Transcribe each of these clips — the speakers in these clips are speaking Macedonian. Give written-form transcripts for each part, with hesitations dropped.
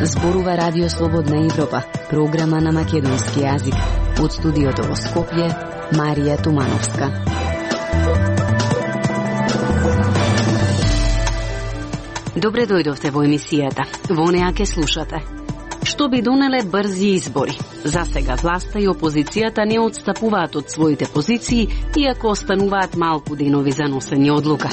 Зборува Радио Слободна Европа, програма на македонски јазик. Од студиото во Скопје, Марија Тумановска. Добре дојдовте во емисијата. Во неа ке слушате. Што би донеле брзи избори? За сега власта и опозицијата не отстапуваат од своите позиции, иако остануваат малку денови за носење одлука.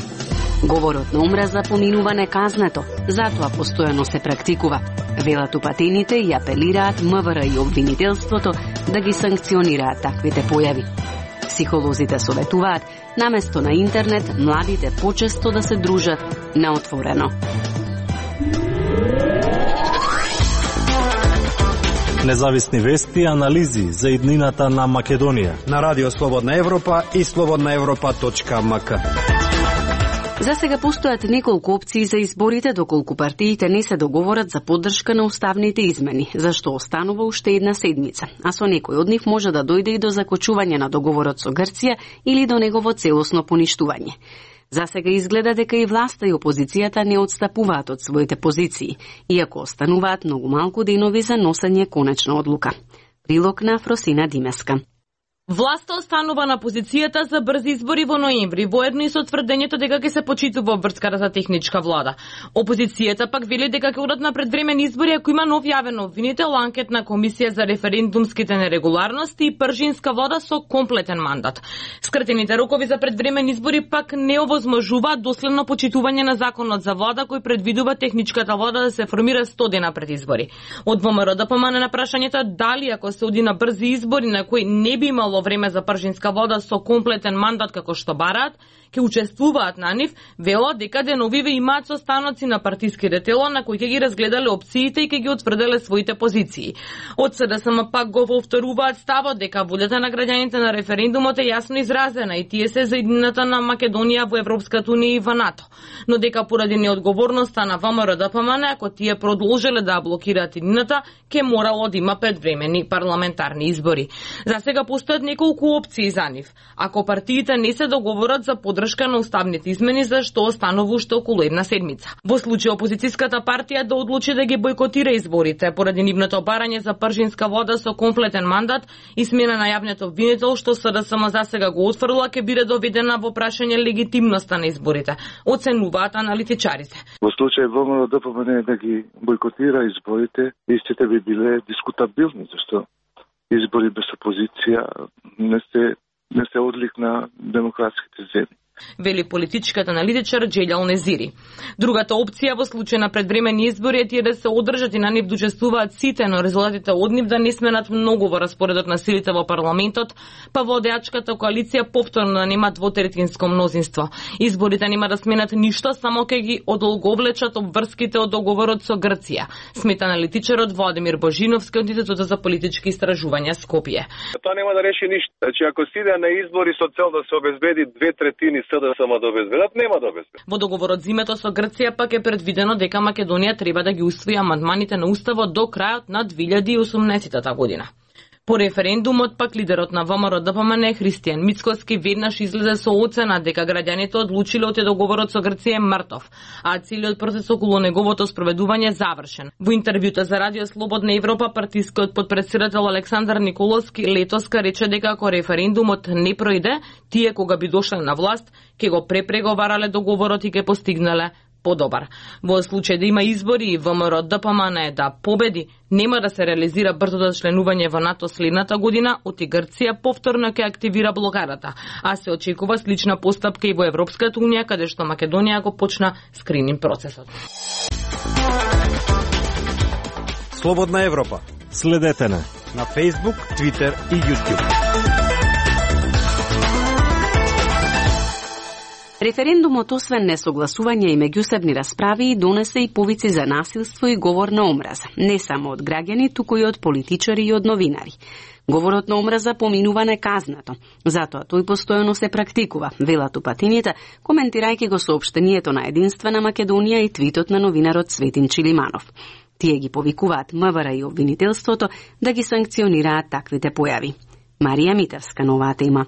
Говорот на омраза поминува неказнето, затоа постојано се практикува. Велат упатените и апелираат МВР и обвинителството да ги санкционираат таквите појави. Психолозите советуваат, наместо на интернет, младите почесто да се дружат на отворено. Независни вести и анализи за иднината на Македонија на Радио Слободна Европа и slobodnaevropa.mk. За сега постојат неколку опции за изборите, доколку партиите не се договорат за поддршка на уставните измени, зашто останува уште една седмица, а со некој од нив може да дојде и до закочување на договорот со Грција или до негово целосно поништување. За сега изгледа дека и власта и опозицијата не отстапуваат од своите позиции, иако остануваат многу малку денови за носење конечна одлука. Прилог на Фросина Димеска. Власта останува на позицијата за брзи избори во ноември, воедно и со тврдењето дека ќе се почитува врската за техничка влада. Опозицијата пак вели дека ќе одат на предвремени избори ако има нов јавен обвинител, анкетна комисија за референдумските нерегуларности и пржинска влада со комплетен мандат. Скратените рокови за предвремени избори пак не овозможуваат доследно почитување на законот за влада кој предвидува техничката влада да се формира 100 дена пред избори. Од ВМРО да помане на прашањето дали ако се оди на брзи избори на кои не би имало време за пржинска влада со комплетен мандат како што бараат, ќе учествуваат на нив, велат дека деновиве имаат состаноци на партиските тела на кои ќе ги разгледале опциите и ќе ги утврделе своите позиции. Од СДСМ пак го повторуваат ставот дека волјата на граѓаните на референдумот е јасно изразена и тие се за иднината на Македонија во Европската унија и во НАТО, но дека поради неодговорноста на ВМРО ДПМН, ако тие продолжиле да блокираат иднината, ќе морало да има предвремени парламентарни избори. За сега постојат неколку опции за нив. Ако партиите не се договорат за поддршка на уставните измени, за што останува уште околу една седмица. Во случај опозицијската партија да одлучи да ги бойкотира изборите поради нивното барање за пржинска влада со комплетен мандат и смена на јавниот обвинител, што СДСМ за сега го отфрла, ќе биде доведена во прашање легитимноста на изборите, оценуваат аналитичарите. Во случај ВМРО ДПМН да ги бойкотира изборите, истите би биле дискутабилни, зашто избори без опозиција не се одлик на демократските земји, вели политичкиот аналитичар Джелјал Незири. Другата опција во случај на предвремени избори е тие да се одржат и на нив учествуваат сите, но резултатите од нив да не сменат многу во распоредот на силите во парламентот, па владеачката коалиција повторно да нема двотретинско мнозинство. Изборите нема да сменат ништо, само ќе ги одолговлечат обврските од договорот со Грција, смета аналитичарот Владимир Божиновски од Институтот за политички истражувања Скопје. Тоа нема да реши ништо. Значи ако се иде на избори со цел да се обезбеди 2/3 СДСМ да обезбедат, нема да обезбедат. Во договорот зимето со Грција пак е предвидено дека Македонија треба да ги усвои амандманите на уставот до крајот на 2018 година. По референдумот пак лидерот на ВМРО ДПМН Христијан Мицкоски веднаш излезе со оцена дека граѓаните одлучиле од договорот со Грција е мртов, а целиот процес околу неговото спроведување е завршен. Во интервјута за Радио Слободна Европа партискиот подпредседател Александар Николовски летоска рече дека ако референдумот не пројде, тие кога би дошле на власт, ќе го препреговарале договорот и ќе постигнале подобар. Во случај да има избори и ВМРО ДПМН да победи, нема да се реализира брзото членување во НАТО следната година, оти Грција повторно ќе активира блокадата, а се очекува слична постапка и во Европската унија, каде што Македонија го почна скрининг процесот. Слободна Европа. Следете на Facebook, Twitter и YouTube. Референдумот, освен несогласување и меѓусебни расправи, донесе и повици за насилство и говор на омраза, не само од граѓани, туку и од политичари и од новинари. Говорот на омраза поминува неказнато, затоа тој постојано се практикува, велат упатените, коментирајќи го соопштението на Единствена Македонија и твитот на новинарот Цветин Чилиманов. Тие ги повикуваат МВР и обвинителството да ги санкционираат таквите појави. Марија Митевска, новата има.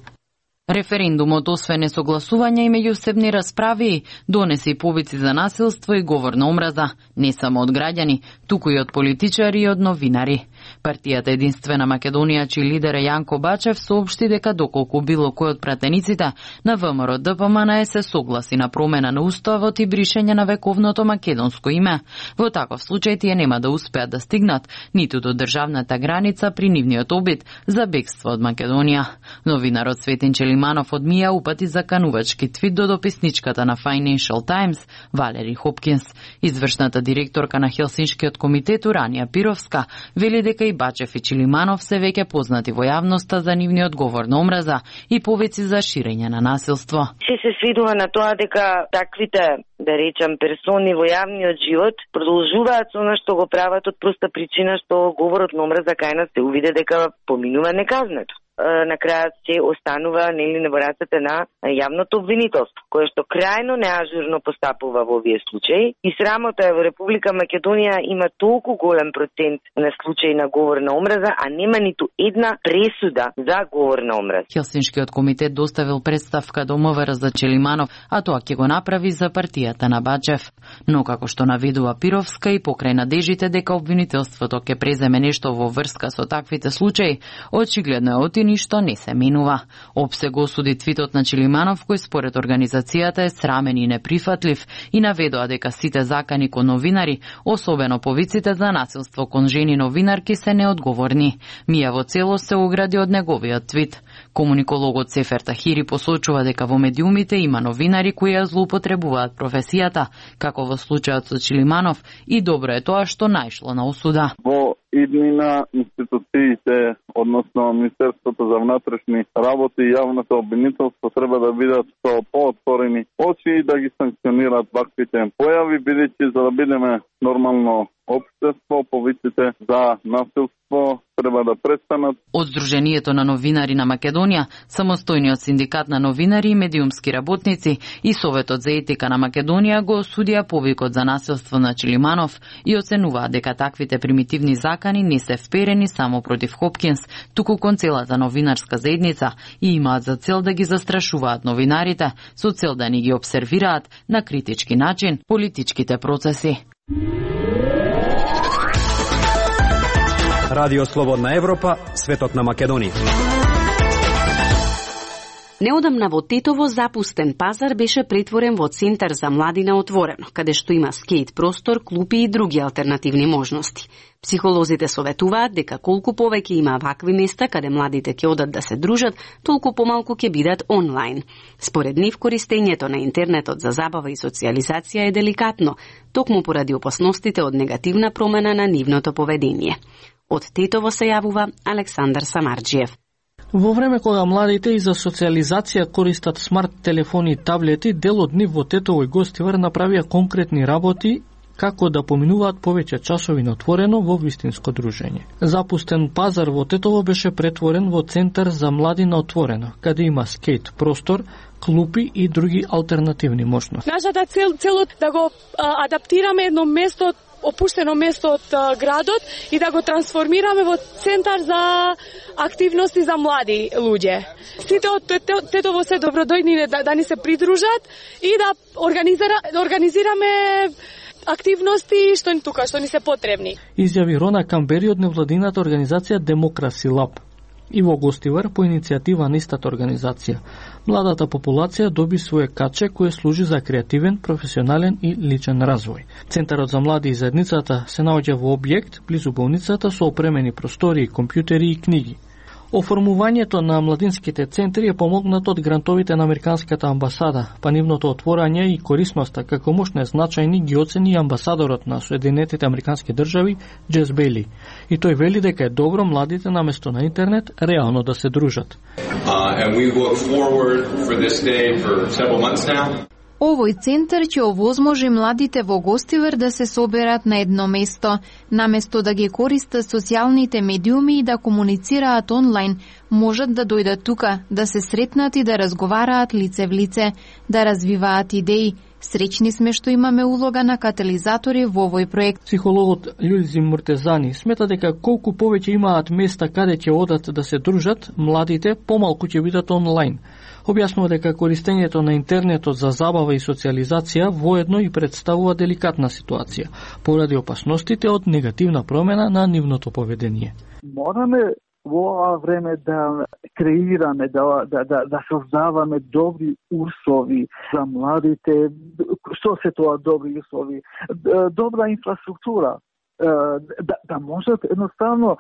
Референдумот, освен несогласување и меѓусебни расправи, донесе и повици за насилство и говор на омраза, не само од граѓани, туку и од политичари и од новинари. Партијата Единствена Македонија, чиј лидер е Јанко Бачев, соопшти дека доколку било кој од пратениците на ВМРО ДПМН се согласи на промена на уставот и бришење на вековното македонско име. Во таков случај тие нема да успеат да стигнат ниту до државната граница при нивниот обид за бегство од Македонија. Новинарот Светин Челиманов одмија упати заканувачки твит до дописничката на Financial Times Валери Хопкинс. Извршната директорка на Хелсиншкиот комитет Уранија Пировска вели дека и Бачев и Челиманов се веќе познати во јавноста за нивниот говор на омраза и повици за ширење на насилство. Се сведува на тоа дека таквите, да речам, персони во јавниот живот продолжуваат со она што го прават од проста причина што говорот на омраза кај нас се увиде дека поминува неказнето. На крајот се останува во рацете на јавното обвинителство, кое што крајно неажурно постапува во овие случаи. И срамота е во Република Македонија има толку голем процент на случаи на говор на омраза, а нема ниту една пресуда за говор на омраза. Хелсиншкиот комитет доставил представка до МВР за Челиманов, а тоа ќе го направи за партијата на Бачев. Но како што наведува Пировска и покрај надежите дека обвинителството ќе преземе нешто во врска со таквите случаи, очигледно е ништо не се менува. ОПСЕ го осуди твитот на Челиманов, кој според организацијата е срамен и неприфатлив и наведоа дека сите закани кон новинари, особено повиците за насилство кон жени новинарки, се неодговорни. Мија во целост се огради од неговиот твит. Комуникологот Сефер Тахири посочува дека во медиумите има новинари кои ја злоупотребуваат професијата, како во случајот со Челиманов, и добро е тоа што најшло на осуда. Во иднина институциите, односно Министерството за внатрешни работи и јавното обвинителство треба да бидат со поотворени очи и да ги санкционираат ваквите појави, бидејќи за да бидеме нормално општество, повиците за насилство треба да престанат. Од Сдруженијето на новинари на Македонија, самостојниот синдикат на новинари и медиумски работници и Советот за етика на Македонија го осудија повикот за насилство на Челиманов и оценуваат дека таквите примитивни закани не се вперени само против Хопкинс, туку кон целата новинарска заедница и имаат за цел да ги застрашуваат новинарите со цел да ни ги обсервираат на критички начин политичките процеси. Радио Слободна Европа, светот на Македонија. Неодамна во Тетово запустен пазар беше претворен во центар за млади на отворено, каде што има скејт простор, клупи и други алтернативни можности. Психолозите советуваат дека колку повеќе има вакви места каде младите ќе одат да се дружат, толку помалку ќе бидат онлайн. Според нив, користењето на интернетот за забава и социјализација е деликатно, токму поради опасностите од негативна промена на нивното поведение. Од Тетово се јавува Александар Самарџиев. Во време кога младите и за социјализација користат смарт телефони и таблети, дел од нив во Тетово и Гостивар направија конкретни работи како да поминуваат повеќе часови на отворено во вистинско дружење. Запустен пазар во Тетово беше претворен во центар за млади на отворено, каде има скејт простор, клупи и други алтернативни можности. Нашата цел да го адаптираме едно место, опуштено место од градот и да го трансформираме во центар за активности за млади луѓе. Сите од Тетово се добродојни да ни се придружат и да организираме активности што ни се потребни. Изјави Рона Камбери од невладината организација Демокраси Лаб. И во Гостивар по иницијатива на истата организација. Младата популација доби свое каче кое служи за креативен, професионален и личен развој. Центарот за млади и заедницата се наоѓа во објект близу болницата со опремени простори, компјутери и книги. Оформувањето на младинските центри е помогнато од грантовите на Американската амбасада, па нивното отворање и корисноста како мощни значајни ги оцени амбасадорот на Соединетите Американски држави Джес Бейли. И тој вели дека е добро младите наместо на интернет реално да се дружат. Овој центар ќе овозможи младите во Гостивар да се соберат на едно место, наместо да ги користат социјалните медиуми и да комуницираат онлайн, можат да дојдат тука, да се сретнат и да разговараат лице в лице, да развиваат идеи. Среќни сме што имаме улога на катализатори во овој проект. Психологот Љулзим Муртезани смета дека колку повеќе имаат места каде ќе одат да се дружат, младите помалку ќе бидат онлайн. Објаснува дека користењето на интернетот за забава и социализација воедно и представува деликатна ситуација, поради опасностите од негативна промена на нивното поведение. Мораме во ова време да креираме, да создаваме добри услови за младите. Што се тоа добри услови? Добра инфраструктура. Да можат едноставно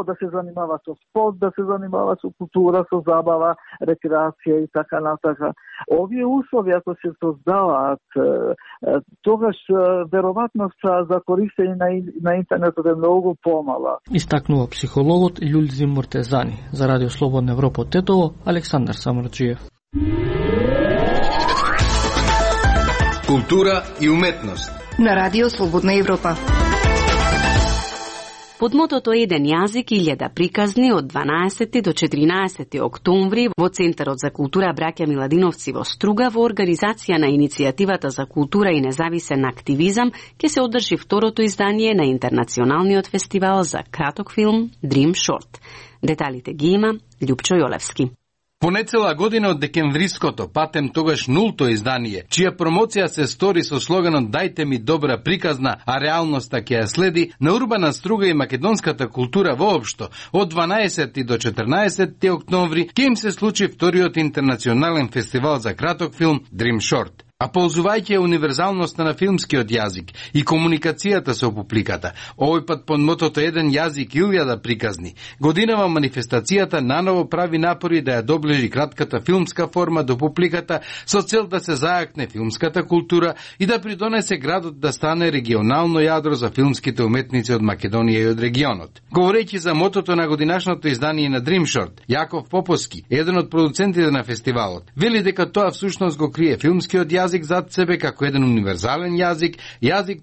да се занимава со спорт, да се занимава со култура, со забава, рекреација и така натака. Овие услови ако се создаваат, тогаш веројатноста за користење на интернетот е многу помала. Истакнува психологот Љулзим Муртезани. За Радио Слободна Европа од Тетово, Александар Самарџиев. Култура и уметност на Радио Слободна Европа. Под мотото Еден јазик, 1000 приказни од 12 до 14 октомври во Центарот за култура Браќа Миладиновци во Струга во организација на Иницијативата за култура и независен активизам ќе се одржи второто издание на Интернационалниот фестивал за краток филм Dream Short. Деталите ги има Љупчо Јолевски. По нецела година од декемвриското, патем тогаш нулто издание, чија промоција се стори со слоганот "Дајте ми добра приказна, а реалноста ќе ја следи", на урбана Струга и македонската култура воопшто, од 12 до 14 октомври ќе им се случи вториот интернационален фестивал за краток филм Dream Short. А ползувајќи универзалноста на филмскиот јазик и комуникацијата со публиката, овој пат под мотото Еден јазик 1000 приказни, годинава манифестацијата наново прави напори да ја доближи кратката филмска форма до публиката со цел да се зајакне филмската култура и да придонесе градот да стане регионално јадро за филмските уметници од Македонија и од регионот. Говорејќи за мотото на годинашното издание на Dream Short, Јаков Поповски, еден од продуцентите на фестивалот, вели дека тоа всушност го крие филмскиот јазик зад себе како еден универзален јазик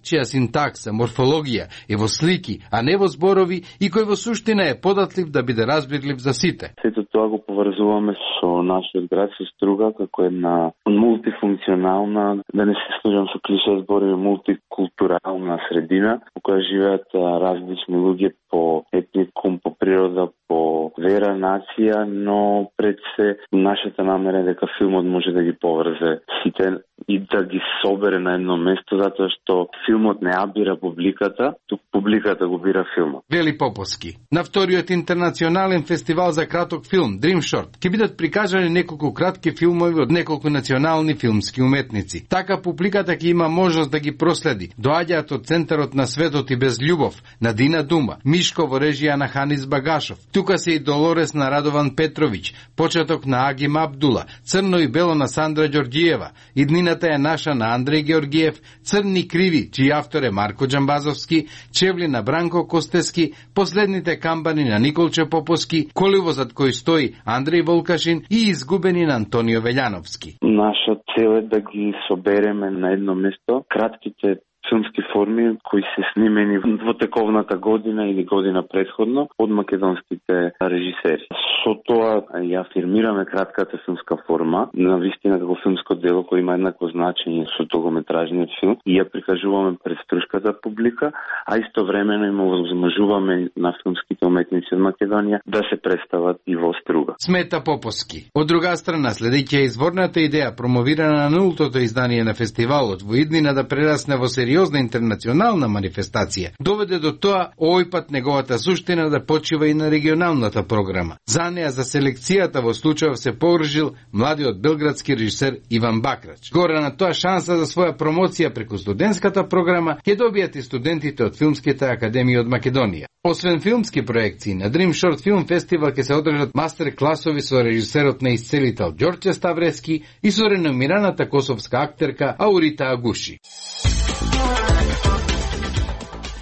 чија синтакса, морфологија е во слики, а не во зборови и кој во суштина е податлив да биде разбирлив за сите. Сето тоа го поврзуваме со нашиот град, со Струга, како една мултифункционална, да не се служам со клише зборови, мултикултурална средина, во која живеат различни луѓе по етникум, по природа, по вера, нација, но пред се нашата намера е дека филмот може да ги поврзе сите и да ги собере на едно место, затоа што филмот не ја бира публиката, тук публиката го бира филмот. Вели Поповски. На вториот интернационален фестивал за краток филм Dream Short ќе бидат прикажани неколку кратки филмови од неколку национални филмски уметници. Така публиката ќе има можност да ги проследи. Доаѓаат од Центарот на светот и без љубов на Дина Дума, Мишко во режија на Ханис Багашов. Тука се и Долорес на Радован Петровиќ, почеток на Агим Абдула, Црно и бело на Сандра Ѓорѓиева, иднината е наша на Андреј Георгиев, Црни криви, чиј автор е Марко Џамбазовски, Чевли на Бранко Костески, Последните камбани на Николче Поповски, Коливо зад кој стои Андреј Волкашин и Изгубени на Антонио Велјановски. Наша цел е да ги собереме на едно место кратките филмски форми кои се снимени во тековната година или година предходно од македонските режисери. Со тоа ја афирмираме кратката филмска форма, навистина како филмско дело кој има еднакво значење со долгометражниот филм и ја прикажуваме пред струшката публика, а истовремено им овозможуваме на филмските уметници од Македонија да се представат и во Струга. Смета Поповски. Од друга страна, следејќи изворната идеја промовирана на нултото издание на фестивалот во иднина да прерасне во сериозна интернационална манифестација, доведе до тоа овој пат неговата суштина да почива и на регионалната програма. За неја за селекцијата во случајов се погрижил младиот белградски режисер Иван Бакрач. Горе на тоа шанса за своја промоција преку студентската програма ќе добијат и студентите од филмските академии од Македонија. Освен филмски проекции, на Dream Short Film Festival ќе се одржат мастер класови со режисерот на исцелител Ѓорче Ставрески и со реномираната косовска актерка Аурита Агуши.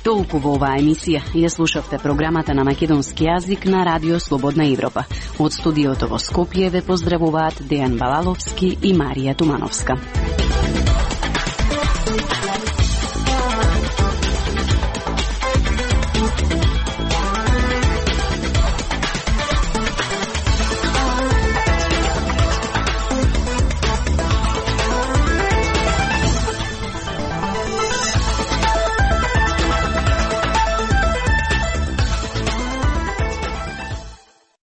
Толку во оваа емисија ја слушавте програмата на македонски јазик на Радио Слободна Европа. Од студиото во Скопје ве поздравуваат Дејан Балаловски и Марија Тумановска.